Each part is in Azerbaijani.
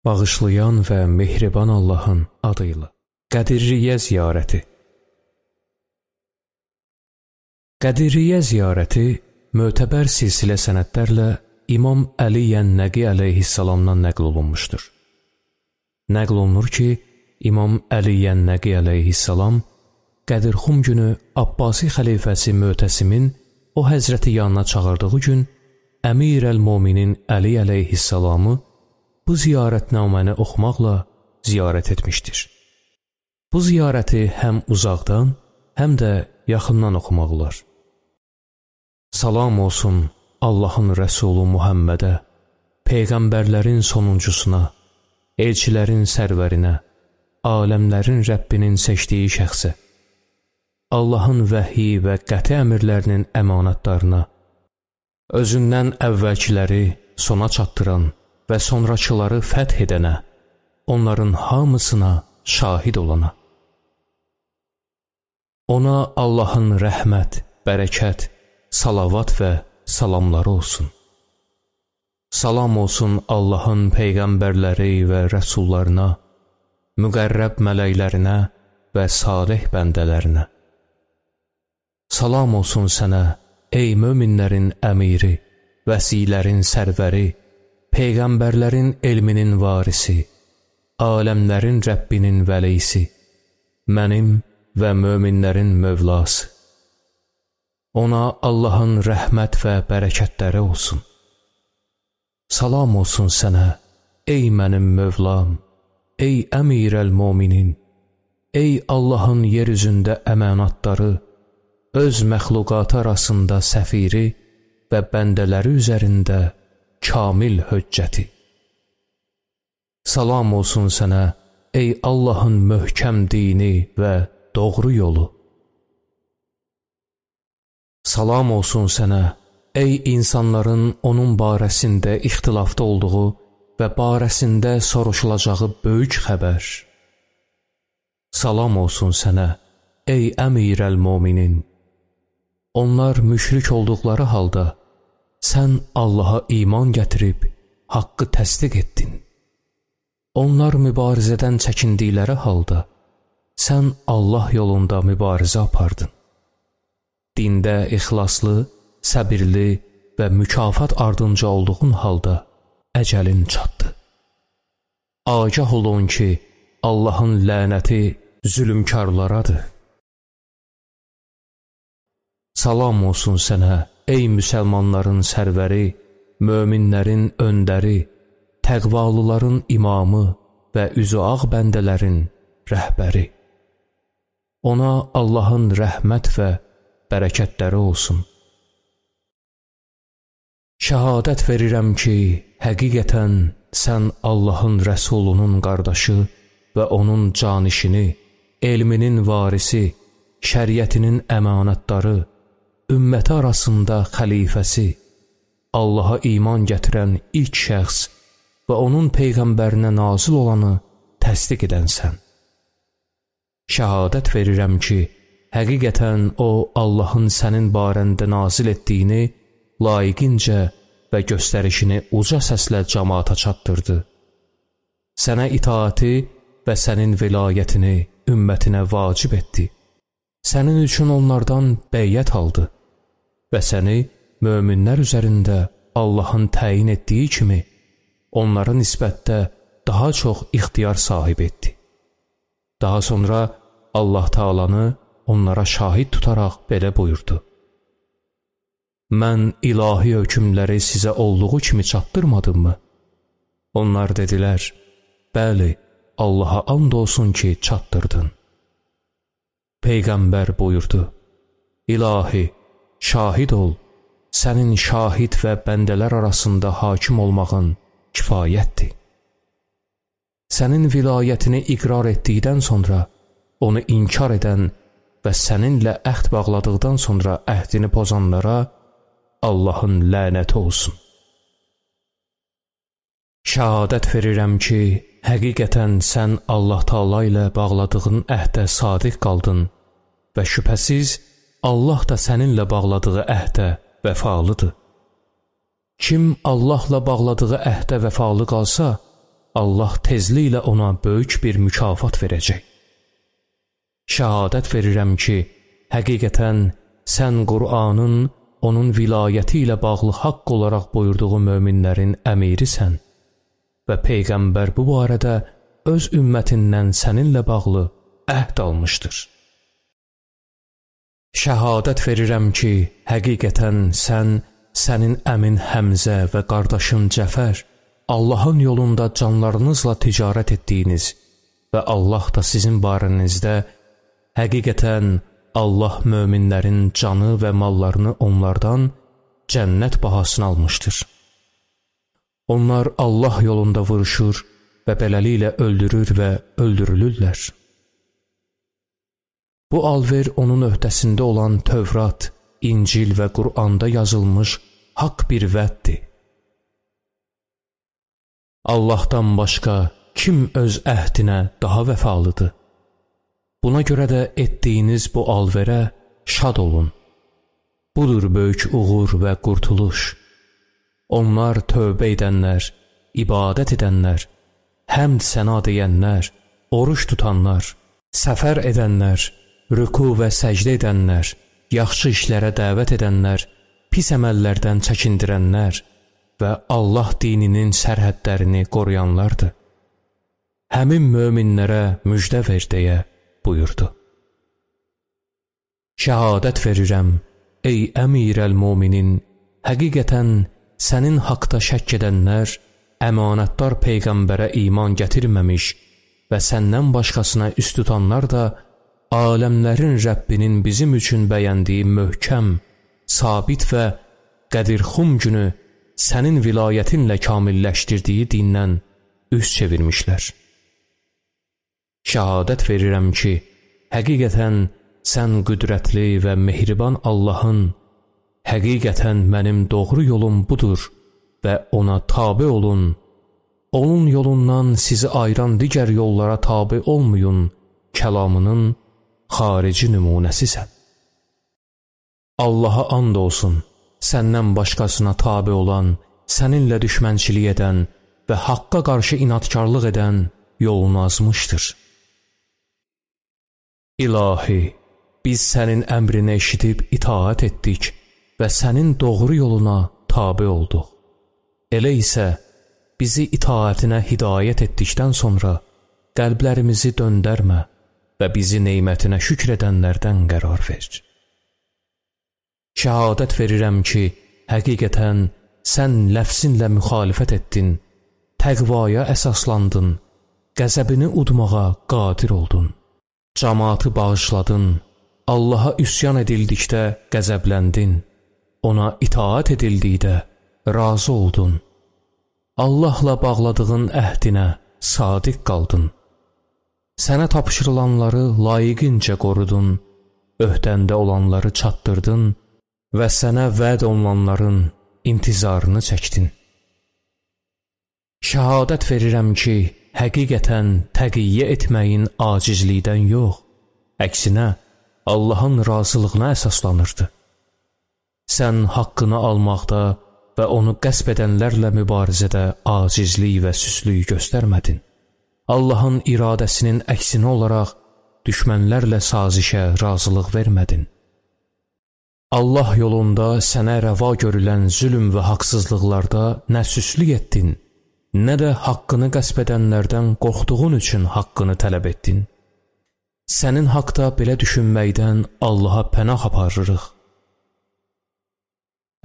Bağışlayan və mehriban Allahın adıyla. Qədiriyyə ziyarəti. Qədiriyyə ziyarəti mötəbər silsilə sənədlərlə İmam Əli Yənnəqi əleyhissalamdan nəql olunmuşdur. Nəql olunur ki, İmam Əli Yənnəqi əleyhissalam Qədirxum günü Abbasi xəlifəsi Mötəsimin o həzrəti yanına çağırdığı gün Əmir-əl-Mominin Əli əleyhissalamı bu ziyarətnaməni oxumaqla ziyarət etmişdir. Bu ziyarəti həm uzaqdan, həm də yaxından oxumaq olar. Salam olsun Allahın Rəsulu Muhammədə, Peyğəmbərlərin sonuncusuna, elçilərin sərvərinə, aləmlərin Rəbbinin seçdiyi şəxsə, Allahın vəhyi və qəti əmirlərinin əmanətdarına, özündən əvvəlkiləri sona çatdıran və sonrakıları fəth edənə, onların hamısına şahid olana. Ona Allahın rəhmət, bərəkət, salavat və salamları olsun. Salam olsun Allahın peyğəmbərləri və rəsullarına, müqərrəb mələklərinə və salih bəndələrinə. Salam olsun sənə, ey möminlərin əmiri, vəsilərin sərvəri, peyğəmbərlərin elminin varisi, aləmlərin Rəbbinin vəlisi, mənim və möminlərin mövlası. Ona Allahın rəhmət və bərəkətləri olsun. Salam olsun sənə, ey mənim mövlam, ey Əmir-əl-Mominin, ey Allahın yer üzündə əmanatları, öz məxluqatı arasında səfiri və bəndələri üzərində kamil höccəti. Salam olsun sənə, ey Allahın möhkəm dini və doğru yolu. Salam olsun sənə, ey insanların onun barəsində ixtilafda olduğu və barəsində soruşulacağı böyük xəbər. Salam olsun sənə, ey Əmir-əl-Mominin. Onlar müşrik olduqları halda sən Allaha iman gətirib haqqı təsdiq etdin. Onlar mübarizədən çəkindikləri halda sən Allah yolunda mübarizə apardın. Dində ixlaslı, səbirli və mükafat ardınca olduğun halda əcəlin çatdı. Agah olun ki, Allahın lənəti zülmkarlaradır. Salam olsun sənə, ey müsəlmanların sərvəri, möminlərin öndəri, təqvalıların imamı və üzü ağ bəndələrin rəhbəri. Ona Allahın rəhmət və bərəkətləri olsun. Şəhadət verirəm ki, həqiqətən sən Allahın Rəsulunun qardaşı və onun canişini, elminin varisi, şəriətinin əmanətdarı, ümməti arasında xəlifəsi, Allaha iman gətirən ilk şəxs və onun peyğəmbərinə nazil olanı təsdiq edənsən. Şəhadət verirəm ki, həqiqətən o Allahın sənin barəndə nazil etdiyini layiqincə və göstərişini uca səslə cəmaata çatdırdı. Sənə itaati və sənin vilayətini ümmətinə vacib etdi. Sənin üçün onlardan bəyyət aldı və səni möminlər üzərində Allahın təyin etdiyi kimi onlara nisbətdə daha çox ixtiyar sahib etdi. Daha sonra Allah Taalanı onlara şahid tutaraq belə buyurdu. Mən ilahi hökmləri sizə olduğu kimi çatdırmadımmı? Onlar dedilər, bəli, Allaha and olsun ki, çatdırdın. Peyğəmbər buyurdu, İlahi, şahid ol, sənin şahid və bəndələr arasında hakim olmağın kifayətdir. Sənin vilayətini iqrar etdikdən sonra onu inkar edən və səninlə əhd bağladıqdan sonra əhdini pozanlara Allahın lənəti olsun. Şəhadət verirəm ki, həqiqətən sən Allah Taala ilə bağladığın əhdə sadiq qaldın və şübhəsiz Allah da səninlə bağladığı əhdə vəfalıdır. Kim Allahla bağladığı əhdə vəfalı qalsa, Allah tezliklə ona böyük bir mükafat verəcək. Şəhadət verirəm ki, həqiqətən sən Qur'anın onun vilayəti ilə bağlı haqq olaraq buyurduğu möminlərin əmirisən və Peyğəmbər bu barədə öz ümmətindən səninlə bağlı əhd almışdır. Şəhadət verirəm ki, həqiqətən sən, sənin əmin Həmzə və qardaşın Cəfər Allahın yolunda canlarınızla ticarət etdiyiniz və Allah da sizin barənizdə həqiqətən Allah möminlərin canı və mallarını onlardan cənnət bahasına almışdır. Onlar Allah yolunda vuruşur və beləliklə öldürür və öldürülürlər. Bu alver onun öhdəsində olan Tövrat, İncil və Qur'anda yazılmış haqq bir vəddir. Allahdan başqa kim öz əhdinə daha vəfalıdır? Buna görə də etdiyiniz bu alverə şad olun. Budur böyük uğur və qurtuluş. Onlar tövbə edənlər, ibadət edənlər, həmd səna deyənlər, oruç tutanlar, səfər edənlər, rüku və səcdə edənlər, yaxşı işlərə dəvət edənlər, pis əməllərdən çəkindirənlər və Allah dininin sərhədlərini qoruyanlardır. Həmin möminlərə müjdə ver deyə buyurdu. Şəhadət verirəm, ey əmirəl-müminin, həqiqətən sənin haqda şəkk edənlər əmanətdar Peyğəmbərə iman gətirməmiş və səndən başqasına üst tutanlar da aləmlərin Rəbbinin bizim üçün bəyəndiyi möhkəm, sabit və qədirxum günü sənin vilayətinlə kamilləşdirdiyi dindən üz çevirmişlər. Şəhadət verirəm ki, həqiqətən sən qüdrətli və mehriban Allahın, həqiqətən mənim doğru yolum budur və ona tabe olun, onun yolundan sizi ayıran digər yollara tabe olmayın kəlamının xarici nümunəsisən. Allaha and olsun, səndən başqasına tabe olan, səninlə düşmənçilik edən və haqqa qarşı inadkarlıq edən yolunu azmışdır. İlahi, biz sənin əmrini eşidib itaat etdik və sənin doğru yoluna tabe olduq. Elə isə bizi itaətinə hidayət etdikdən sonra qəlblərimizi döndərmə və bizi nemətinə şükr edənlərdən qərar ver. Şəhadət verirəm ki, həqiqətən sən ləfzinlə müxalifət etdin, təqvaya əsaslandın, qəzəbini udmağa qadir oldun. Cəmaatı bağışladın, Allaha üsyan edildikdə qəzəbləndin, ona itaat edildikdə razı oldun. Allahla bağladığın əhdinə sadiq qaldın. Sənə tapşırılanları layiqincə qorudun, öhdəndə olanları çatdırdın və sənə vəd olunanların intizarını çəkdin. Şəhadət verirəm ki, həqiqətən təqiyyə etməyin acizlikdən yox, əksinə Allahın razılığına əsaslanırdı. Sən haqqını almaqda və onu qəsb edənlərlə mübarizədə acizlik və süslük göstərmədin. Allahın iradəsinin əksini olaraq düşmənlərlə sazişə razılıq vermədin. Allah yolunda sənə rəva görülən zülm və haqsızlıqlarda nə süslük etdin, nə də haqqını qəsb edənlərdən qorxduğun üçün haqqını tələb etdin. Sənin haqda belə düşünməkdən Allaha pənah aparırıq.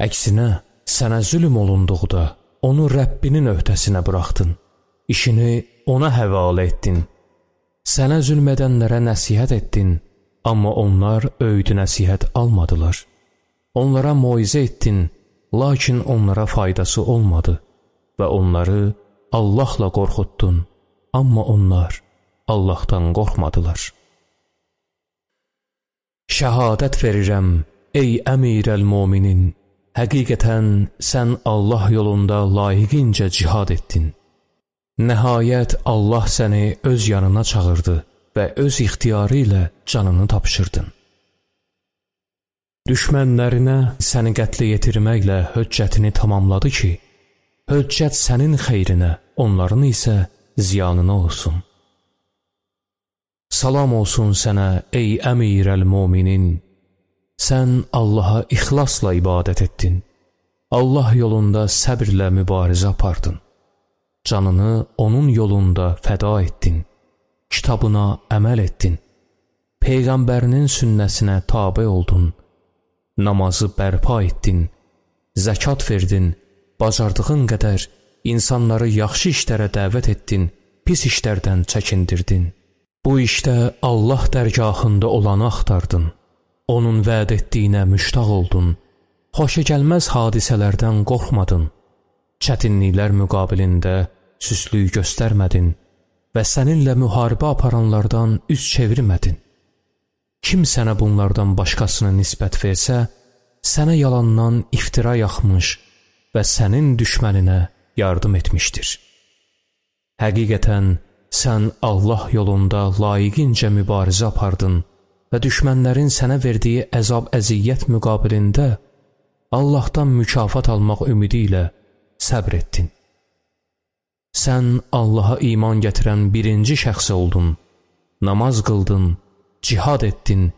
Əksinə, sənə zülm olunduqda onu Rəbbinin öhdəsinə buraxdın, işini ona həvalə etdin. Sənə zülm edənlərə nəsihət etdin, amma onlar öyüd nəsihət almadılar. Onlara moizə etdin, lakin onlara faydası olmadı və onları Allahla qorxutdun, amma onlar Allahdan qorxmadılar. Şəhadət verirəm, ey əmirəl-müminin, həqiqətən sən Allah yolunda layiqincə cihad etdin. Nəhayət Allah səni öz yanına çağırdı və öz ixtiyarı ilə canını tapşırdın. Düşmənlərinə səni qətlə yetirməklə höccətini tamamladı ki, höccət sənin xeyrinə, onların isə ziyanına olsun. Salam olsun sənə ey əmirəl-müminin. Sən Allaha ixlasla ibadət etdin. Allah yolunda səbirlə mübarizə apardın. Canını onun yolunda fəda etdin. Kitabına əməl etdin. Peyğəmbərinin sünnəsinə tabe oldun. Namazı bərpa etdin. Zəkat verdin. Bacardığın qədər insanları yaxşı işlərə dəvət etdin. Pis işlərdən çəkindirdin. Bu işdə Allah dərgahında olanı axtardın. Onun vəd etdiyinə müştaq oldun. Xoşagəlməz hadisələrdən qorxmadın. Çətinliklər müqabilində süslük göstərmədin və səninlə müharibə aparanlardan üz çevirmədin. Kim sənə bunlardan başqasını nisbət versə, sənə yalandan iftira yaxmış və sənin düşməninə yardım etmişdir. Həqiqətən, sən Allah yolunda layiqincə mübarizə apardın və düşmənlərin sənə verdiyi əzab-əziyyət müqabilində Allahdan mükafat almaq ümidi ilə səbr etdin. Sən Allaha iman gətirən birinci şəxs oldun, namaz qıldın, cihad etdin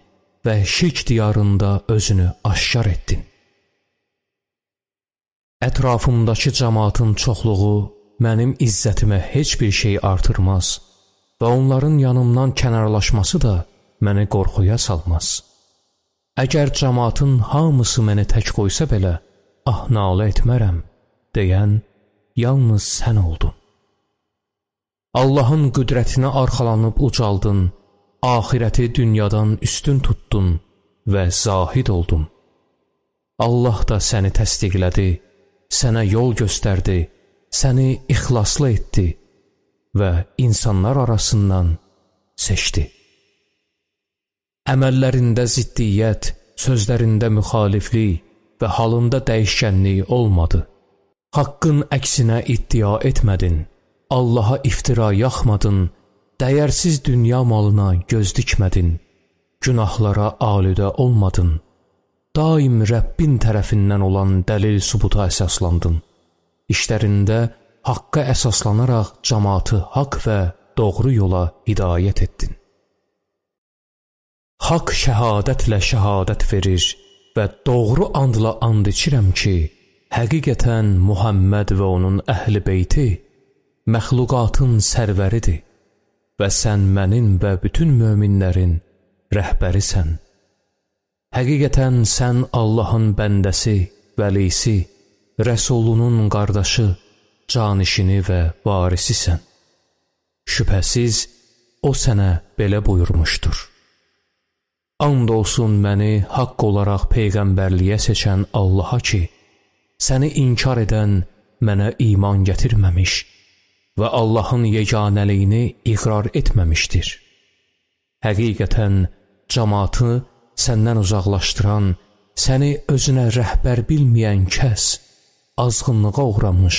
və şirk diyarında özünü aşkar etdin. Ətrafımdakı cəmaatın çoxluğu mənim izzətimə heç bir şey artırmaz və onların yanımdan kənarlaşması da məni qorxuya salmaz. Əgər cəmaatın hamısı məni tək qoysa belə, nalə etmərəm, deyən yalnız sən oldun. Allahın qüdrətinə arxalanıb ucaldın, axirəti dünyadan üstün tutdun və zahid oldun. Allah da səni təsdiqlədi, sənə yol göstərdi, səni ixlaslı etdi və insanlar arasından seçdi. Əməllərində ziddiyyət, sözlərində müxaliflik və halında dəyişkənlik olmadı. Haqqın əksinə iddia etmədin, Allaha iftira yaxmadın, dəyərsiz dünya malına göz dikmədin, günahlara alüdə olmadın, daim Rəbbin tərəfindən olan dəlil-sübuta əsaslandın. İşlərində haqqa əsaslanaraq cəmaatı haqq və doğru yola hidayət etdin. Haqq şəhadətlə şəhadət verir və doğru andla and içirəm ki, həqiqətən Muhammed və onun əhl-i beyti məxluqatın sərvəridir və sən mənim və bütün möminlərin rəhbərisən. Həqiqətən sən Allahın bəndəsi, vəlisi, Rəsulunun qardaşı, canişini və varisisən. Şübhəsiz, o sənə belə buyurmuşdur. And olsun məni haqq olaraq peyğəmbərliyə seçən Allaha ki, səni inkar edən mənə iman gətirməmiş və Allahın yeganəliyini iqrar etməmişdir. Həqiqətən, cəmaatı səndən uzaqlaşdıran, səni özünə rəhbər bilməyən kəs, azğınlığa uğramış,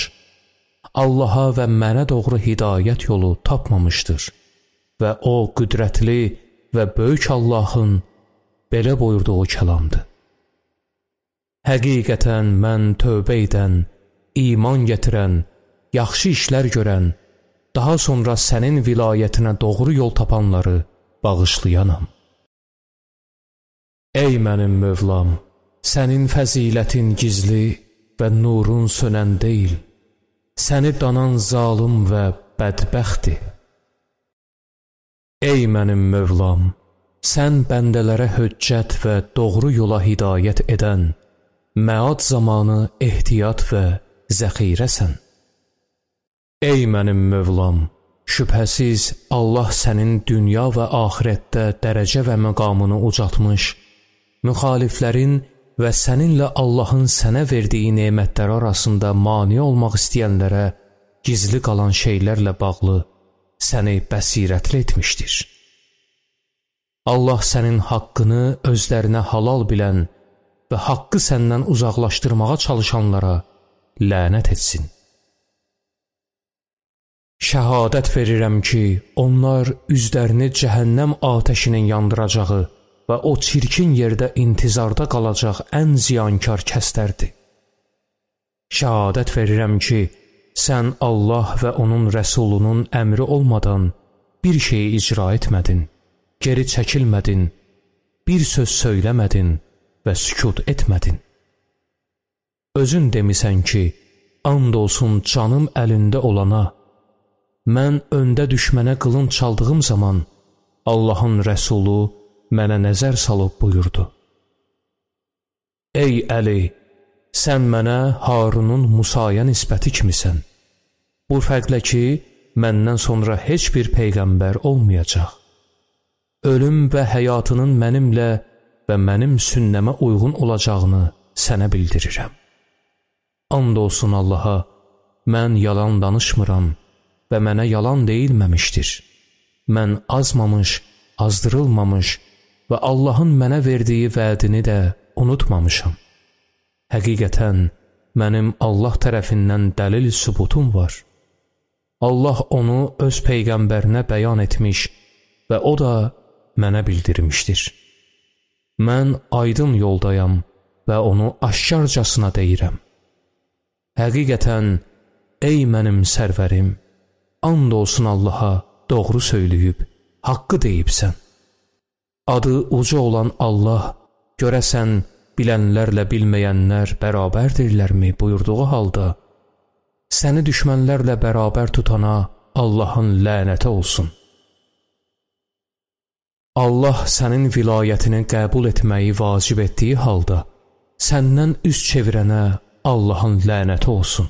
Allaha və mənə doğru hidayət yolu tapmamışdır və o qüdrətli və böyük Allahın belə buyurduğu kəlamdır. Həqiqətən mən tövbə edən, iman gətirən, yaxşı işlər görən, daha sonra sənin vilayətinə doğru yol tapanları bağışlayanam. Ey mənim Mövlam, sənin fəzilətin gizli və nurun sönən deyil, səni danan zalım və bədbəxtdir. Ey mənim Mövlam, sən bəndələrə höccət və doğru yola hidayət edən, məad zamanı ehtiyat və zəxirəsən. Ey mənim Mövlam, şübhəsiz Allah sənin dünya və axirətdə dərəcə və məqamını ucaltmış, müxaliflərin və səninlə Allahın sənə verdiyi nemətlər arasında mane olmaq istəyənlərə gizli qalan şeylərlə bağlı səni bəsirətli etmişdir. Allah sənin haqqını özlərinə halal bilən və haqqı səndən uzaqlaşdırmağa çalışanlara lənət etsin. Şəhadət verirəm ki, onlar üzlərini cəhənnəm atəşinin yandıracağı və o çirkin yerdə intizarda qalacaq ən ziyankar kəslərdir. Şəhadət verirəm ki, sən Allah və onun rəsulunun əmri olmadan bir şeyi icra etmədin, geri çəkilmədin, bir söz söyləmədin və sükut etmədin. Özün demisən ki, and olsun canım əlində olana, mən öndə düşmənə qılınc çaldığım zaman Allahın rəsulu mənə nəzər salıb buyurdu. Ey Əli, sən mənə Harunun Musaya nisbəti kimisən. Bu fərqlə ki, məndən sonra heç bir peyğəmbər olmayacaq. Ölüm və həyatının mənimlə və mənim sünnəmə uyğun olacağını sənə bildirirəm. And olsun Allaha, mən yalan danışmıram və mənə yalan deyilməmişdir. Mən azmamış, azdırılmamış və Allahın mənə verdiyi vədini də unutmamışam. Həqiqətən, mənim Allah tərəfindən dəlil sübutum var. Allah onu öz peyğəmbərinə bəyan etmiş və o da mənə bildirmişdir. Mən aydın yoldayam və onu aşkarcasına deyirəm. Həqiqətən, ey mənim sərvərim, and olsun Allaha doğru söyləyib, haqqı deyibsən. Adı uca olan Allah, görəsən, bilənlərlə bilməyənlər bərabərdirlərmi buyurduğu halda, səni düşmənlərlə bərabər tutana Allahın lənəti olsun. Allah sənin vilayətini qəbul etməyi vacib etdiyi halda, səndən üz çevirənə Allahın lənəti olsun.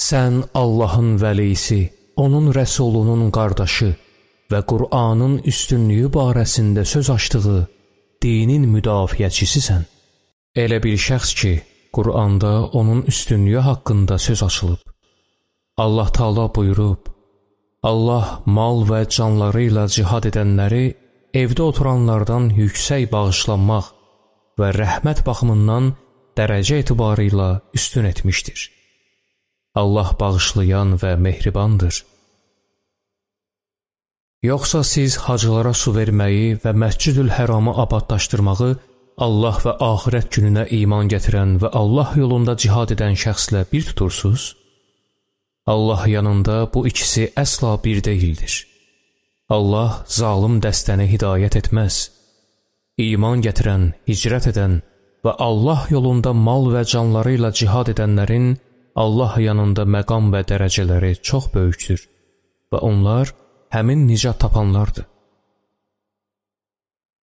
Sən Allahın vəlisi, onun rəsulunun qardaşı və Qur'anın üstünlüyü barəsində söz açdığı dinin müdafiəçisisən. Elə bir şəxs ki, Qur'anda onun üstünlüyü haqqında söz açılıb. Allah Taala buyurub, Allah mal və canları ilə cihad edənləri evdə oturanlardan yüksək bağışlanmaq və rəhmət baxımından dərəcə etibarı ilə üstün etmişdir. Allah bağışlayan və mehribandır. Yoxsa siz hacılara su verməyi və Məscid-ül Həramı abadlaşdırmağı Allah və axirət gününə iman gətirən və Allah yolunda cihad edən şəxslə bir tutursuz? Allah yanında bu ikisi əsla bir deyildir. Allah zalım dəstəni hidayət etməz. İman gətirən, hicrət edən və Allah yolunda mal və canları ilə cihad edənlərin Allah yanında məqam və dərəcələri çox böyükdür və onlar həmin nicat tapanlardır.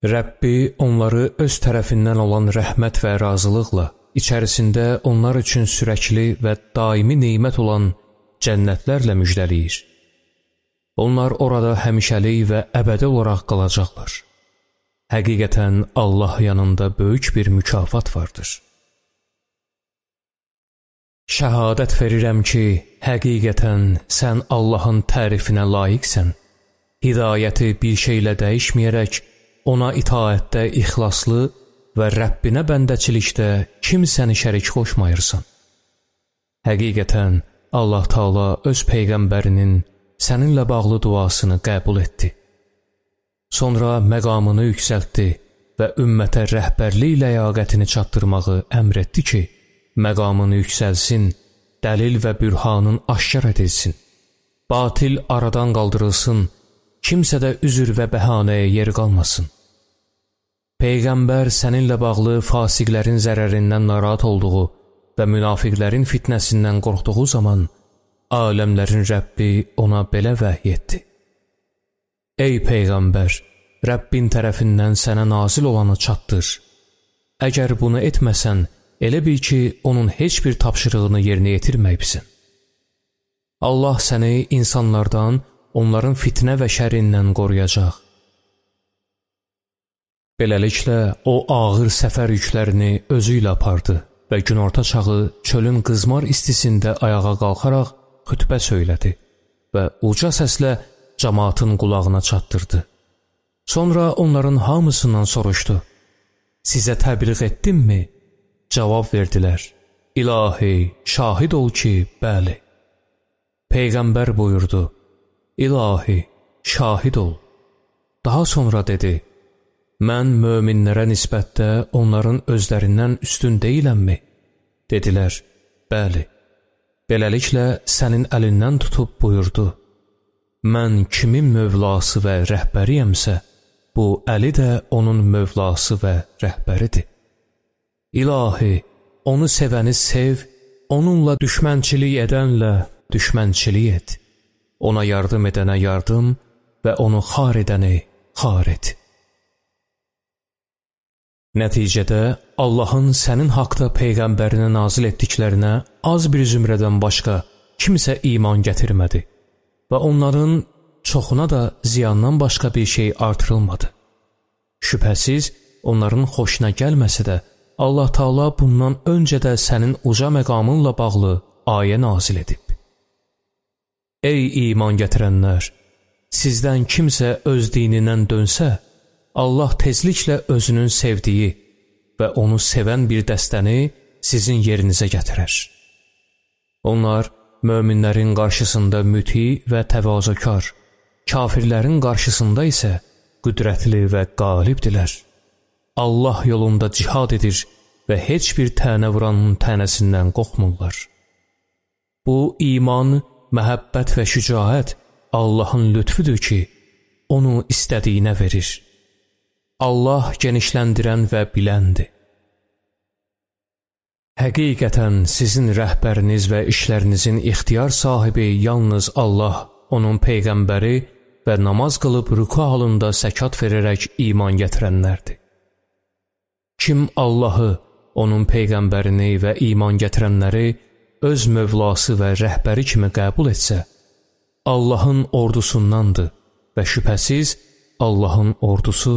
Rəbbi onları öz tərəfindən olan rəhmət və razılıqla, içərisində onlar üçün sürəkli və daimi nemət olan cənnətlərlə müjdəliyir. Onlar orada həmişəlik və əbədi olaraq qalacaqlar. Həqiqətən Allah yanında böyük bir mükafat vardır. Şəhadət verirəm ki, həqiqətən sən Allahın tərifinə layiqsən. Hidayəti bir şeylə dəyişməyərək, ona itaətdə ixlaslı və Rəbbinə bəndəçilikdə kimsəni şərik qoşmayırsan. Həqiqətən Allah Taala öz peyğəmbərinin səninlə bağlı duasını qəbul etdi. Sonra məqamını yüksəltdi və ümmətə rəhbərlik ləyaqətini çatdırmağı əmr etdi ki, məqamını yüksəlsin, dəlil və bürhanın aşkar edilsin, batil aradan qaldırılsın, kimsədə üzür və bəhanəyə yer qalmasın. Peyğəmbər səninlə bağlı fasiqlərin zərərindən narahat olduğu və münafiqlərin fitnəsindən qorxduğu zaman, aləmlərin Rəbbi ona belə vəhy etdi. Ey Peyğəmbər, Rəbbin tərəfindən sənə nazil olanı çatdır. Əgər bunu etməsən, elə bil ki, onun heç bir tapşırığını yerinə yetirməyibsən. Allah səni insanlardan, onların fitnə və şərrindən qoruyacaq. Beləliklə, o ağır səfər yüklərini özü ilə apardı və günorta çağı çölün qızmar istisində ayağa qalxaraq xütbə söylədi və uca səslə cəmaatın qulağına çatdırdı. Sonra onların hamısından soruşdu, sizə təbliğ etdimmi? Cavab verdilər, İlahi, şahid ol ki, bəli. Peyğəmbər buyurdu, İlahi, şahid ol. Daha sonra dedi, mən möminlərə nisbətdə onların özlərindən üstün deyiləmmi? Dedilər, bəli. Beləliklə sənin əlindən tutub buyurdu: mən kimin mövlası və rəhbəriyəmsə, bu Əli də onun mövlası və rəhbəridir. İlahi, onu sevəni sev, onunla düşmənçilik edənlə düşmənçilik et. Ona yardım edənə yardım və onu xar edəni xar et. Nəticədə Allahın sənin haqda Peyğəmbərinə nazil etdiklərinə az bir zümrədən başqa kimsə iman gətirmədi və onların çoxuna da ziyandan başqa bir şey artırılmadı. Şübhəsiz, onların xoşuna gəlməsə də, Allah Taala bundan öncə də sənin uca məqamınla bağlı ayə nazil edib. Ey iman gətirənlər! Sizdən kimsə öz dinindən dönsə, Allah tezliklə özünün sevdiyi və onu sevən bir dəstəni sizin yerinizə gətirər. Onlar möminlərin qarşısında müti və təvazökar, kafirlərin qarşısında isə qüdrətli və qalibdilər. Allah yolunda cihad edir və heç bir tənə vuranın tənəsindən qorxmurlar. Bu iman, məhəbbət və şücaət Allahın lütfüdür ki, onu istədiyinə verir. Allah genişləndirən və biləndir. Həqiqətən sizin rəhbəriniz və işlərinizin ixtiyar sahibi yalnız Allah, onun Peyğəmbəri və namaz qılıb rüku halında səkat verərək iman gətirənlərdir. Kim Allahı, onun Peyğəmbərini və iman gətirənləri öz mövlası və rəhbəri kimi qəbul etsə, Allahın ordusundandır və şübhəsiz Allahın ordusu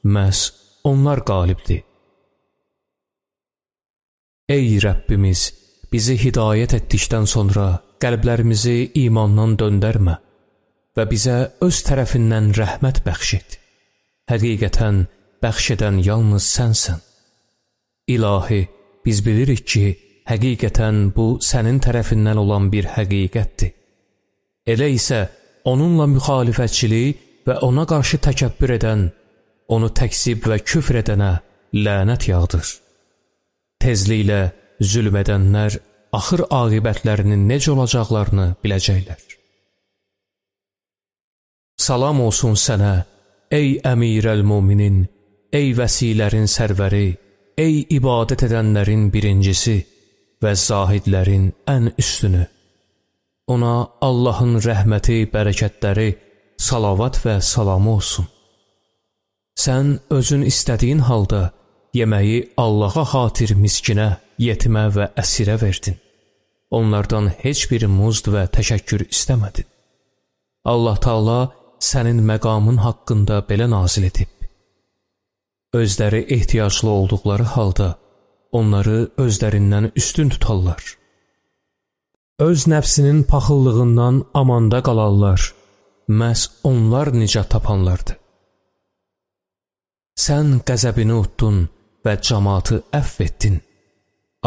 məhz onlar qalibdir. Ey Rəbbimiz, bizi hidayət etdikdən sonra qəlblərimizi imandan döndərmə və bizə öz tərəfindən rəhmət bəxş et. Həqiqətən bəxş edən yalnız sənsən. İlahi, biz bilirik ki, həqiqətən bu sənin tərəfindən olan bir həqiqətdir. Elə isə onunla müxalifətçilik və ona qarşı təkəbbür edən, onu təksib və küfr edənə lənət yağdır. Tezliklə zülm edənlər axır aqibətlərinin necə olacaqlarını biləcəklər. Salam olsun sənə, ey əmirəl-müminin, ey vəsilərin sərvəri, ey ibadət edənlərin birincisi və zahidlərin ən üstünü. Ona Allahın rəhməti, bərəkətləri, salavat və salamı olsun. Sən özün istədiyin halda yeməyi Allaha xatir miskinə, yetimə və əsirə verdin. Onlardan heç bir muzd və təşəkkür istəmədin. Allah Taala sənin məqamın haqqında belə nazil edib. Özləri ehtiyaclı olduqları halda onları özlərindən üstün tutarlar. Öz nəfsinin paxıllığından amanda qalarlar. Məhz onlar nicat tapanlardır. Sən qəzəbini utdun və cəmaatı əfv etdin.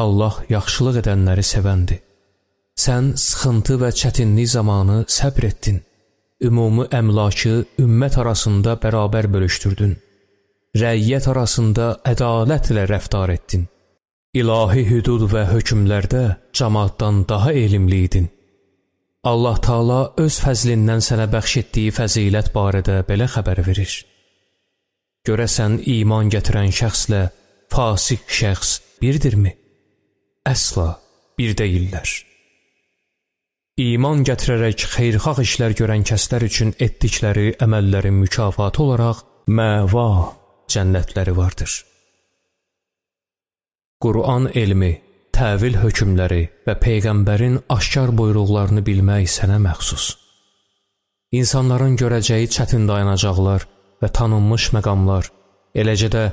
Allah yaxşılıq edənləri sevəndir. Sən sıxıntı və çətinlik zamanı səbr etdin. Ümumi əmlakı ümmət arasında bərabər bölüşdürdün. Rəiyyət arasında ədalətlə rəftar etdin. İlahi hüdud və hökmlərdə cəmaatdan daha elmli idin. Allah Taala öz fəzlindən sənə bəxş etdiyi fəzilət barədə belə xəbər verir. Görəsən iman gətirən şəxslə fasik şəxs birdirmi? Əsla bir deyillər. İman gətirərək xeyirxah işlər görən kəslər üçün etdikləri əməllərin mükafatı olaraq məva cənnətləri vardır. Quran elmi, təvil hökmləri və Peyğəmbərin aşkar buyruqlarını bilmək sənə məxsus. İnsanların görəcəyi çətin dayanacaqlar və tanınmış məqamlar, eləcə də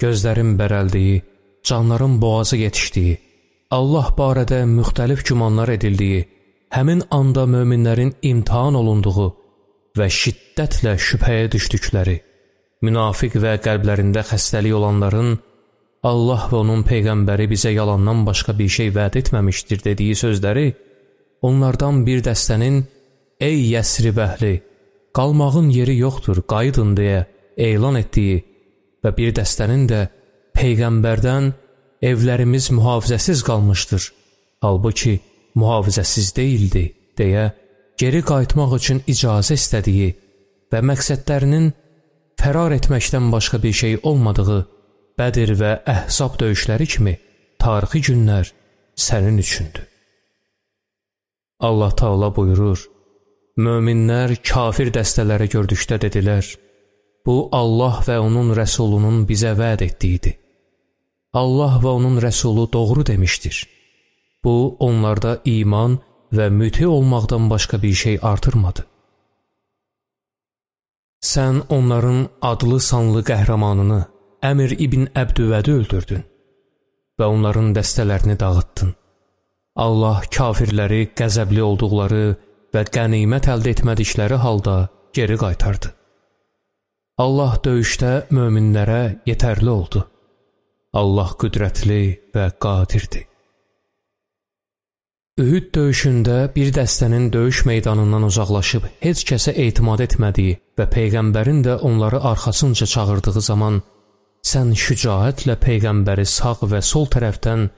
gözlərin bərəldiyi, canların boğazı yetişdiyi, Allah barədə müxtəlif gümanlar edildiyi, həmin anda möminlərin imtihan olunduğu və şiddətlə şübhəyə düşdükləri, münafiq və qəlblərində xəstəlik olanların Allah və onun Peyğəmbəri bizə yalandan başqa bir şey vəd etməmişdir dediyi sözləri, onlardan bir dəstənin ey Yəsrib əhli, qalmağın yeri yoxdur, qayıdın deyə elan etdiyi və bir dəstənin də Peyğəmbərdən evlərimiz mühafizəsiz qalmışdır. Halbuki mühafizəsiz deyildi, deyə geri qayıtmaq üçün icazə istədiyi və məqsədlərinin fərar etməkdən başqa bir şey olmadığı Bədir və Əhzab döyüşləri kimi tarixi günlər sənin üçündür. Allah Taala buyurur, möminlər kafir dəstələri gördükdə dedilər, bu Allah və onun rəsulunun bizə vəd etdiyidir. Allah və onun rəsulu doğru demişdir. Bu, onlarda iman və müti olmaqdan başqa bir şey artırmadı. Sən onların adlı sanlı qəhrəmanını, Əmir ibn Əbdüvədi öldürdün və onların dəstələrini dağıtdın. Allah kafirləri qəzəbli olduqları və qənimət əldə etmədikləri halda geri qaytardı. Allah döyüşdə möminlərə yetərli oldu. Allah qüdrətli və qadirdir. Ühüd döyüşündə bir dəstənin döyüş meydanından uzaqlaşıb heç kəsə etimad etmədiyi və Peyğəmbərin də onları arxasınca çağırdığı zaman sən şücaətlə Peyğəmbəri sağ və sol tərəfdən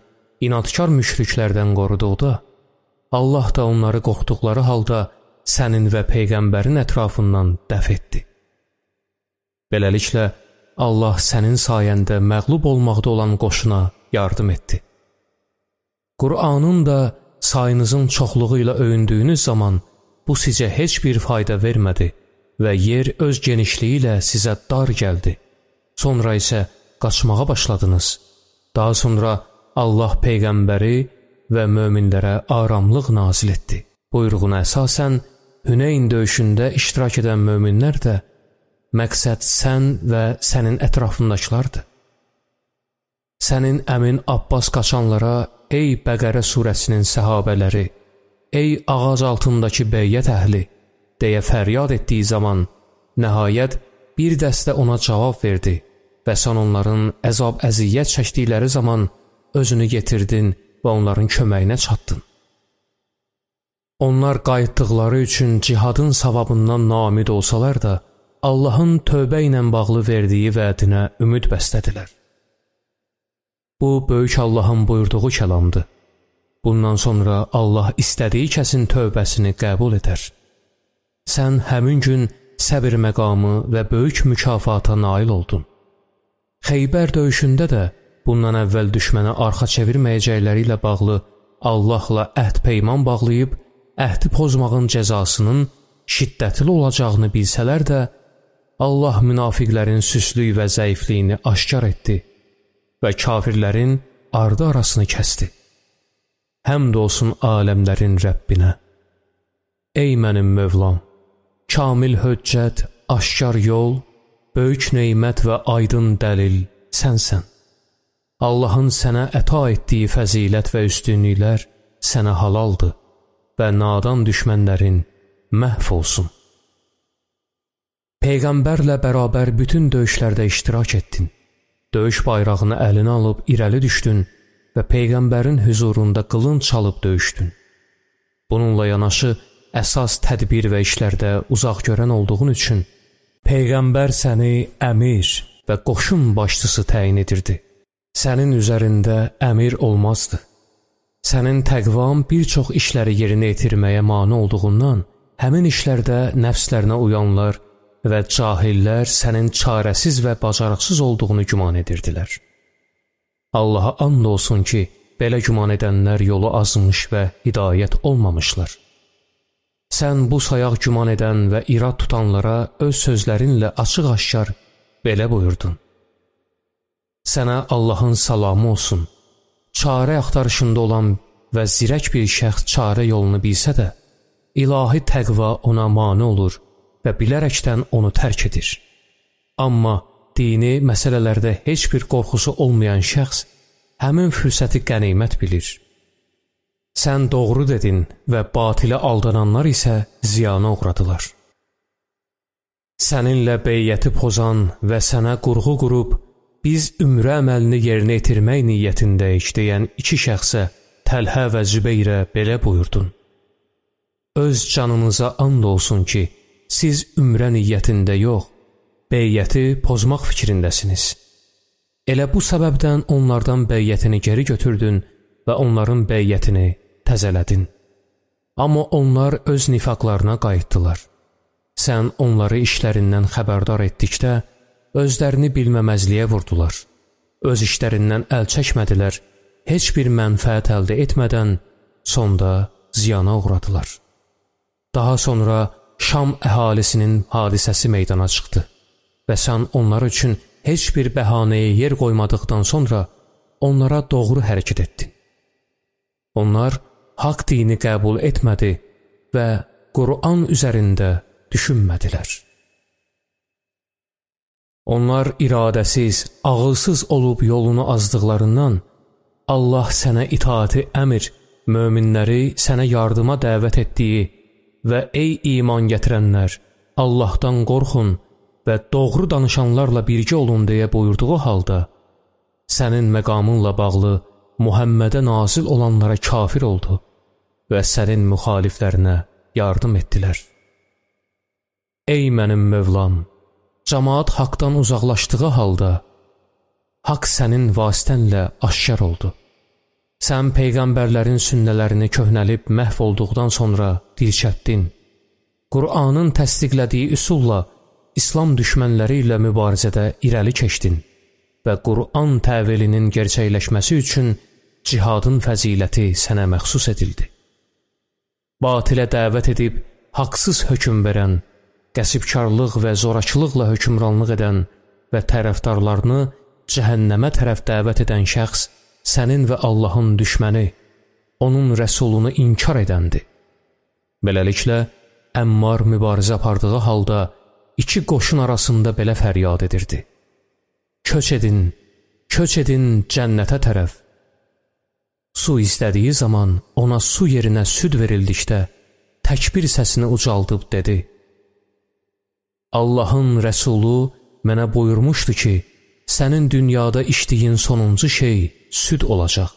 inadkar müşriklərdən qoruduqda, Allah da onları qorxduqları halda sənin və Peyğəmbərin ətrafından dəf etdi. Beləliklə, Allah sənin sayəndə məğlub olmaqda olan qoşuna yardım etdi. Qur'anın da sayınızın çoxluğu ilə öyündüyünüz zaman bu sizə heç bir fayda vermədi və yer öz genişliyi ilə sizə dar gəldi. Sonra isə qaçmağa başladınız. Daha sonra Allah Peyğəmbəri və möminlərə aramlıq nazil etdi. Buyruğuna əsasən Hüneyn döyüşündə iştirak edən möminlər də məqsəd sən və sənin ətrafındakılardır. Sənin əmin Abbas qaçanlara, ey Bəqərə surəsinin səhabələri, ey ağac altındakı beyyət əhli, deyə fəryad etdiyi zaman, nəhayət bir dəstə ona cavab verdi və sən onların əzab-əziyyət çəkdikləri zaman özünü yetirdin və onların köməyinə çatdın. Onlar qayıtdıqları üçün cihadın savabından naümid olsalar da, Allahın tövbə ilə bağlı verdiyi vədinə ümid bəslədilər. Bu, böyük Allahın buyurduğu kəlamdır. Bundan sonra Allah istədiyi kəsin tövbəsini qəbul edər. Sən həmin gün səbir məqamı və böyük mükafata nail oldun. Xeybər döyüşündə də bundan əvvəl düşmənə arxa çevirməyəcəkləri ilə bağlı Allahla əhd peyman bağlayıb, əhdi pozmağın cəzasının şiddətli olacağını bilsələr də, Allah münafiqlərin süslük və zəifliyini aşkar etdi və kafirlərin ardı arasını kəsdi. Həmd olsun aləmlərin Rəbbinə. Ey mənim Mövlam, kamil höccət, aşkar yol, böyük neymət və aydın dəlil sənsən. Allahın sənə əta etdiyi fəzilət və üstünlüklər sənə halaldır və nadan düşmənlərin məhv olsun. Peyğəmbərlə bərabər bütün döyüşlərdə iştirak etdin. Döyüş bayrağını əlinə alıb irəli düşdün və Peyğəmbərin hüzurunda qılınc çalıb döyüşdün. Bununla yanaşı, əsas tədbir və işlərdə uzaq görən olduğun üçün Peyğəmbər səni əmir və qoşun başçısı təyin edirdi. Sənin üzərində əmir olmazdı. Sənin təqvan bir çox işləri yerinə yetirməyə mane olduğundan, həmin işlərdə nəfslərinə uyanlar və cahillər sənin çarəsiz və bacarıqsız olduğunu güman edirdilər. Allaha and olsun ki, belə güman edənlər yolu azmış və hidayət olmamışlar. Sən bu sayaq güman edən və irad tutanlara öz sözlərinlə açıq-aşkar belə buyurdun. Sənə Allahın salamı olsun. Çarə axtarışında olan və zirək bir şəxs çarə yolunu bilsə də, ilahi təqva ona mane olur və bilərəkdən onu tərk edir. Amma dini məsələlərdə heç bir qorxusu olmayan şəxs həmin fürsəti qənimət bilir. Sən doğru dedin və batilə aldananlar isə ziyana uğradılar. Səninlə beyyəti pozan və sənə qurğu qurub, biz ümrə əməlini yerinə yetirmək niyyətindəyik deyən iki şəxsə, Təlhə və Zübeyrə belə buyurdun. Öz canınıza and olsun ki, siz ümrə niyyətində yox, beyyəti pozmaq fikrindəsiniz. Elə bu səbəbdən onlardan beyyətini geri götürdün və onların beyyətini təzələdin. Amma onlar öz nifaqlarına qayıtdılar. Sən onları işlərindən xəbərdar etdikdə, özlərini bilməməzliyə vurdular. Öz işlərindən əl çəkmədilər, heç bir mənfəət əldə etmədən sonda ziyana uğradılar. Daha sonra Şam əhalisinin hadisəsi meydana çıxdı və sən onlar üçün heç bir bəhanəyə yer qoymadıqdan sonra onlara doğru hərəkət etdin. Onlar haqq dini qəbul etmədi və Qur'an üzərində düşünmədilər. Onlar iradəsiz, ağılsız olub yolunu azdıqlarından Allah sənə itaati əmr, möminləri sənə yardıma dəvət etdiyi və ey iman gətirənlər, Allahdan qorxun və doğru danışanlarla birgə olun deyə buyurduğu halda, sənin məqamınla bağlı Muhammədə nazil olanlara kafir oldu və sənin müxaliflərinə yardım etdilər. Ey mənim Mövlam, cəmaat haqdan uzaqlaşdığı halda, haqq sənin vasitənlə aşkar oldu. Sən peyğəmbərlərin sünnələrini köhnəlib məhv olduqdan sonra dirçətdin. Qur'anın təsdiqlədiyi üsulla İslam düşmənləri ilə mübarizədə irəli keçdin və Qur'an təvilinin gerçəkləşməsi üçün cihadın fəziləti sənə məxsus edildi. Batilə dəvət edib haqsız hökm verən, qəsibkarlıq və zorakılıqla hökmranlıq edən və tərəfdarlarını cəhənnəmə tərəf dəvət edən şəxs sənin və Allahın düşməni, onun rəsulunu inkar edəndi. Beləliklə, Əmmar mübarizə apardığı halda iki qoşun arasında belə fəryad edirdi. Köç edin cənnətə tərəf. Su istədiyi zaman ona su yerinə süd verildikdə təkbir səsini ucaldıb dedi: Allahın rəsulu mənə buyurmuşdu ki, sənin dünyada içdiyin sonuncu şey süd olacaq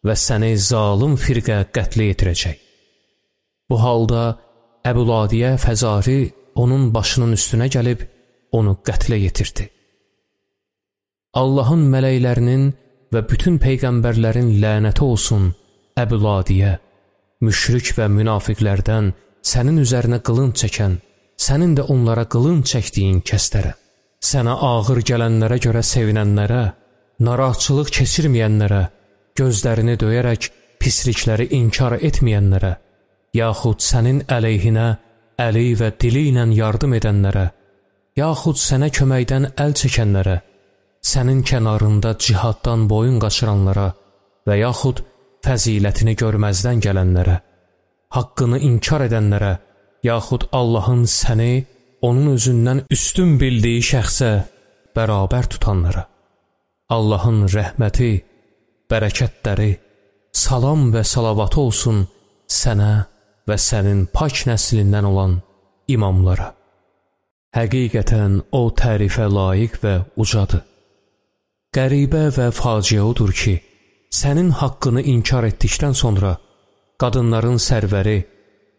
və səni zalım firqə qətlə yetirəcək. Bu halda Əbuladiyə Fəzari onun başının üstünə gəlib onu qətlə yetirdi. Allahın mələklərinin və bütün peyğəmbərlərin lənəti olsun Əbuladiyə, müşrik və münafiqlərdən sənin üzərinə qılınc çəkən, sənin də onlara qılınc çəkdiyin kəslərə, sənə ağır gələnlərə görə sevinənlərə, narahatçılıq keçirməyənlərə, gözlərini döyərək pislikləri inkar etməyənlərə, yaxud sənin əleyhinə əli və dili ilə yardım edənlərə, yaxud sənə köməkdən əl çəkənlərə, sənin kənarında cihaddan boyun qaçıranlara və yaxud fəzilətini görməzdən gələnlərə, haqqını inkar edənlərə, yaxud Allahın səni onun özündən üstün bildiyi şəxsə bərabər tutanlara, Allahın rəhməti, bərəkətləri, salam və salavatı olsun sənə və sənin pak nəslindən olan imamlara. Həqiqətən o tərifə layiq və ucadır. Qəribə və faciə odur ki, sənin haqqını inkar etdikdən sonra qadınların sərvəri,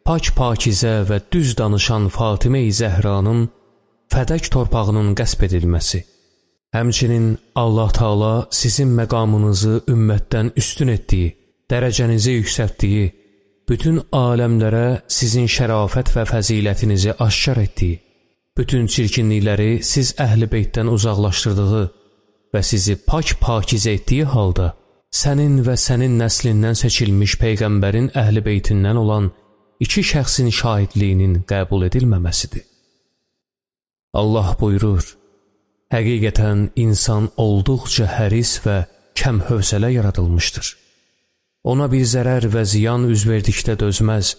pak-pakizə və düz danışan Fatimə-i Zəhranın fədək torpağının qəsb edilməsi, həmçinin Allah Taala sizin məqamınızı ümmətdən üstün etdiyi, dərəcənizi yüksəltdiyi, bütün aləmlərə sizin şərafət və fəzilətinizi aşkar etdiyi, bütün çirkinlikləri siz əhl-i beytdən uzaqlaşdırdığı və sizi pak-pakizə etdiyi halda, sənin və sənin nəslindən seçilmiş peyğəmbərin əhl-i beytindən olan iki şəxsin şahidliyinin qəbul edilməməsidir. Allah buyurur: həqiqətən insan olduqca həris və kəm hövsələ yaradılmışdır. Ona bir zərər və ziyan üz verdikdə dözməz,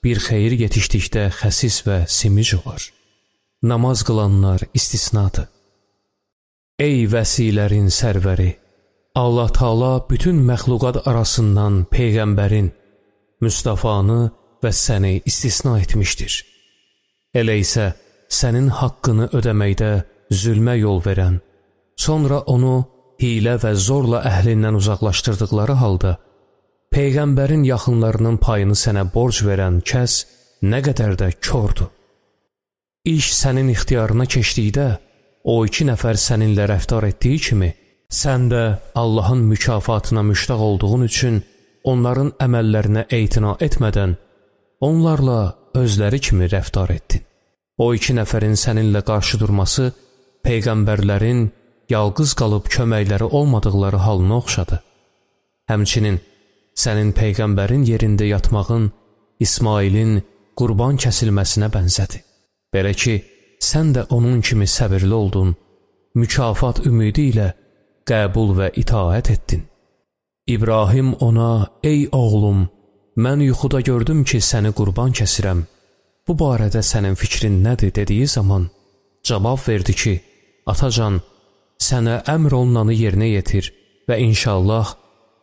bir xeyir yetişdikdə xəsis və simic olar. Namaz qılanlar istisnadır. Ey vəsilərin sərvəri! Allah Taala bütün məxluqat arasından peyğəmbərin, Müstafanı və səni istisna etmişdir. Elə isə sənin haqqını ödəməkdə zülmə yol verən, sonra onu hilə və zorla əhlindən uzaqlaşdırdıqları halda, peyğəmbərin yaxınlarının payını sənə borc verən kəs nə qədər də kordur. İş sənin ixtiyarına keçdikdə, o iki nəfər səninlə rəftar etdiyi kimi, sən də Allahın mükafatına müştaq olduğun üçün onların əməllərinə etina etmədən, onlarla özləri kimi rəftar etdin. O 2 nəfərin səninlə qarşı durması, peyğəmbərlərin yalqız qalıb köməkləri olmadıqları halına oxşadı. Həmçinin sənin peyğəmbərin yerində yatmağın İsmailin qurban kəsilməsinə bənzədi. Belə ki, sən də onun kimi səbirli oldun, mükafat ümidi ilə qəbul və itaət etdin. İbrahim ona, ey oğlum, mən yuxuda gördüm ki, səni qurban kəsirəm. Bu barədə sənin fikrin nədir dediyi zaman cavab verdi ki, atacan, sənə əmr olunanı yerinə yetir və inşallah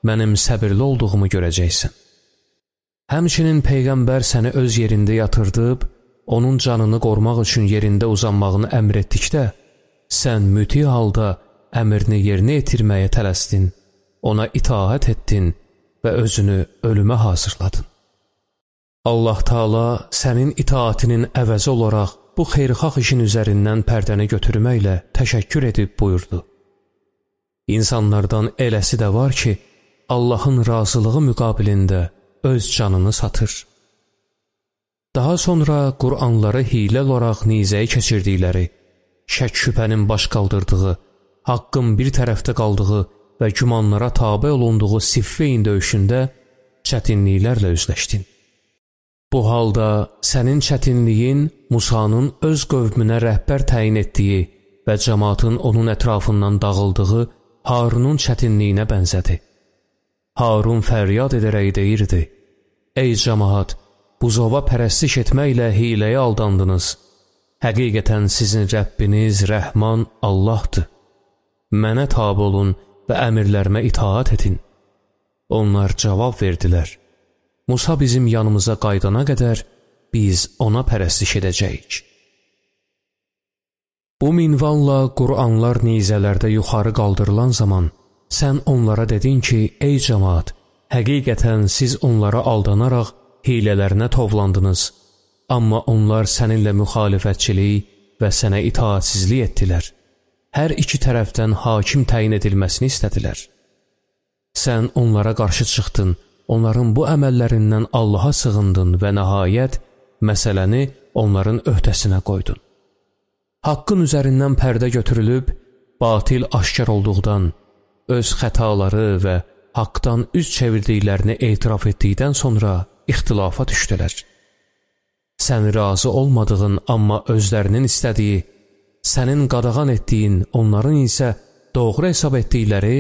mənim səbirli olduğumu görəcəksən. Həmçinin Peyğəmbər səni öz yerində yatırdıb, onun canını qorumaq üçün yerində uzanmağını əmr etdikdə, sən müti halda əmrini yerinə yetirməyə tələsdin, ona itaət etdin və özünü ölümə hazırladın. Allah Taala sənin itaatinin əvəzi olaraq bu xeyirxah işin üzərindən pərdəni götürməklə təşəkkür edib buyurdu. İnsanlardan eləsi də var ki, Allahın razılığı müqabilində öz canını satır. Daha sonra Qur'anları hiylə olaraq nizəyə keçirdikləri, şək-şübhənin baş qaldırdığı, haqqın bir tərəfdə qaldığı və gümanlara tabe olunduğu Siffeyn döyüşündə çətinliklərlə üzləşdin. Bu halda sənin çətinliyin Musanın öz qövmünə rəhbər təyin etdiyi və cəmaatın onun ətrafından dağıldığı Harunun çətinliyinə bənzədi. Harun fəryad edərək deyirdi, ey cəmaat, buzova pərəstiş etməklə hiləyə aldandınız. Həqiqətən sizin Rəbbiniz Rəhman Allahdır. Mənə tabe olun və əmirlərimə itaat edin. Onlar cavab verdilər, Musa bizim yanımıza qaydana qədər biz ona pərəstiş edəcəyik. Bu minvalla Qur'anlar nizələrdə yuxarı qaldırılan zaman sən onlara dedin ki, ey cəmaat, həqiqətən siz onlara aldanaraq hilələrinə tovlandınız, amma onlar səninlə müxalifətçilik və sənə itaatsizlik etdilər. Hər iki tərəfdən hakim təyin edilməsini istədilər. Sən onlara qarşı çıxdın, onların bu əməllərindən Allaha sığındın və nəhayət məsələni onların öhdəsinə qoydun. Haqqın üzərindən pərdə götürülüb, batil aşkar olduqdan, öz xətaları və haqdan üz çevirdiklərini etiraf etdikdən sonra ixtilafa düşdülər. Sən razı olmadığın, amma özlərinin istədiyi, sənin qadağan etdiyin, onların isə doğru hesab etdikləri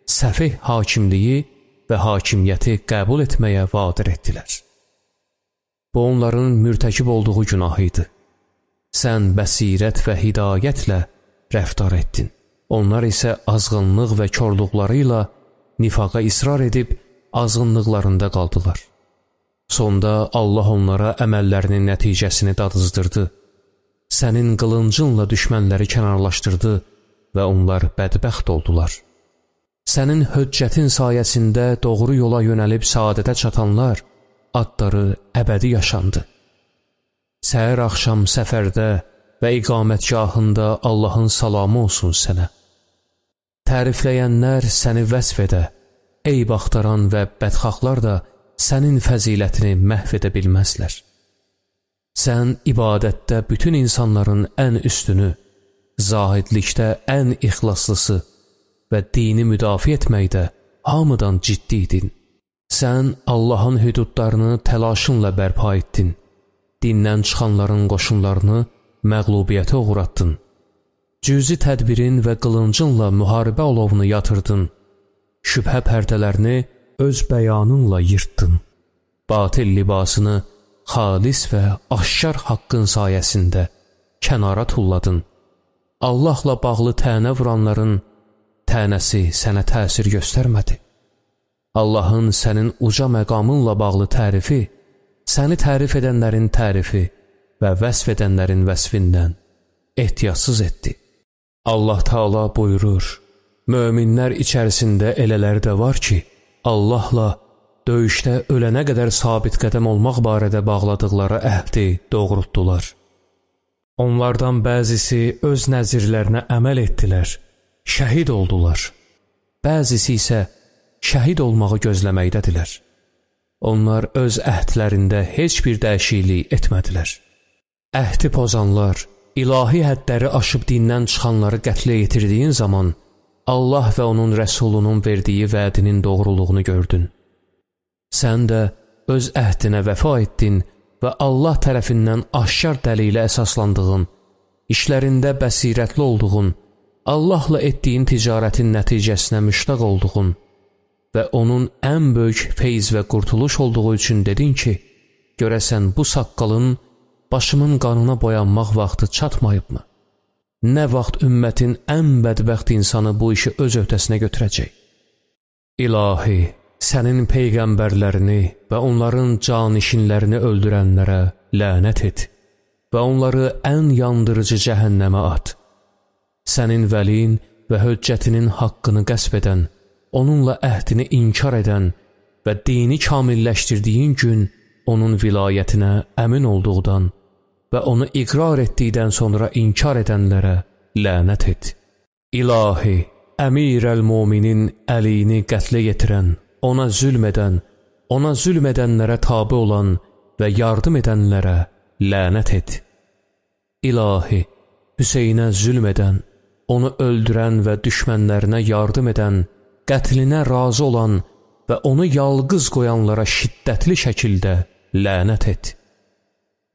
səfih hakimliyi və hakimiyyəti qəbul etməyə vadir etdilər. Bu onların mürtəkib olduğu günah idi. Sən bəsirət və hidayətlə rəftar etdin. Onlar isə azğınlıq və körlükləri ilə nifaqa israr edib azğınlıqlarında qaldılar. Sonda Allah onlara əməllərinin nəticəsini dadızdırdı. Sənin qılıncınla düşmənləri kənarlaşdırdı və onlar bədbəxt oldular. Sənin höccətin sayəsində doğru yola yönəlib saadətə çatanlar adları əbədi yaşandı. Səhər axşam səfərdə və iqamətgahında Allahın salamı olsun sənə. Tərifləyənlər səni vəsf edə, eyb axtaran və bədxahlar da sənin fəzilətini məhv edə bilməzlər. Sən ibadətdə bütün insanların ən üstünü, zahidlikdə ən ixlaslısı və dini müdafiə etməkdə hamıdan ciddi idin. Sən Allahın hüdudlarını təlaşınla bərpa etdin. Dindən çıxanların qoşunlarını məğlubiyyətə uğratdın. Cüzi tədbirin və qılıncınla müharibə olovunu yatırdın. Şübhə pərdələrini öz bəyanınla yırtdın. Batil libasını xalis və aşkar haqqın sayəsində kənara tulladın. Allahla bağlı tənə vuranların tənəsi sənə təsir göstərmədi. Allahın sənin uca məqamınla bağlı tərifi, səni tərif edənlərin tərifi və vəsf edənlərin vəsfindən ehtiyatsız etdi. Allah Taala buyurur, möminlər içərisində elələri də var ki, Allahla döyüşdə ölənə qədər sabit qədəm olmaq barədə bağladıqları əhdi doğrultdular. Onlardan bəzisi öz nəzirlərinə əməl etdilər, şəhid oldular. Bəzisi isə şəhid olmağı gözləməkdədirlər. Onlar öz əhdlərində heç bir dəyişiklik etmədilər. Əhdi pozanlar, ilahi hədləri aşıb dindən çıxanları qətlə yetirdiyin zaman Allah və onun rəsulunun verdiyi vədinin doğruluğunu gördün. Sən də öz əhdinə vəfa etdin və Allah tərəfindən aşkar dəlilə əsaslandığın, işlərində bəsirətli olduğun, Allahla etdiyin ticarətin nəticəsinə müştaq olduğun və onun ən böyük feyz və qurtuluş olduğu üçün dedin ki, görəsən bu saqqalın başımın qanına boyanmaq vaxtı çatmayıbmı? Nə vaxt ümmətin ən bədbəxt insanı bu işi öz öhdəsinə götürəcək? İlahi, sənin peyğəmbərlərini və onların canişinlərini öldürənlərə lənət et və onları ən yandırıcı cəhənnəmə at. Sənin vəlin və höccətinin haqqını qəsb edən, onunla əhdini inkar edən və dini kamilləşdirdiyin gün onun vilayətinə əmin olduqdan və onu iqrar etdikdən sonra inkar edənlərə lənət et. İlahi, əmir-əl-muminin əlini qətlə yetirən, ona zülm edənlərə tabi olan və yardım edənlərə lənət et. İlahi, Hüseynə zülm edən, onu öldürən və düşmənlərinə yardım edən, qətlinə razı olan və onu yalqız qoyanlara şiddətli şəkildə lənət et.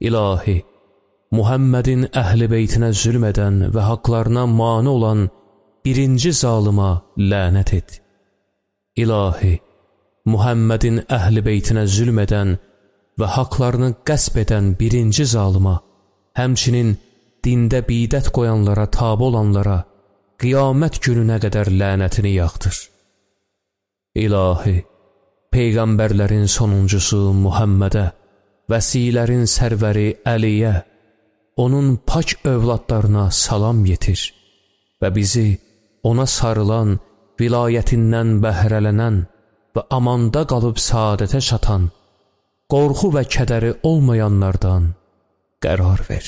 İlahi, Muhammedin əhl-i beytinə zülm edən və haqlarına mane olan birinci zalıma lənət et. İlahi, Muhammedin əhl-i beytinə zülm edən və haqlarını qəsb edən birinci zalıma, həmçinin dində bidət qoyanlara tabi olanlara qiyamət gününə qədər lənətini yağdır. İlahi, peyğəmbərlərin sonuncusu Muhammedə, vəsilərin sərvəri Əliyə, onun pak övladlarına salam yetir və bizi ona sarılan, vilayətindən bəhrələnən və amanda qalıb saadətə çatan, qorxu və kədəri olmayanlardan qərar ver.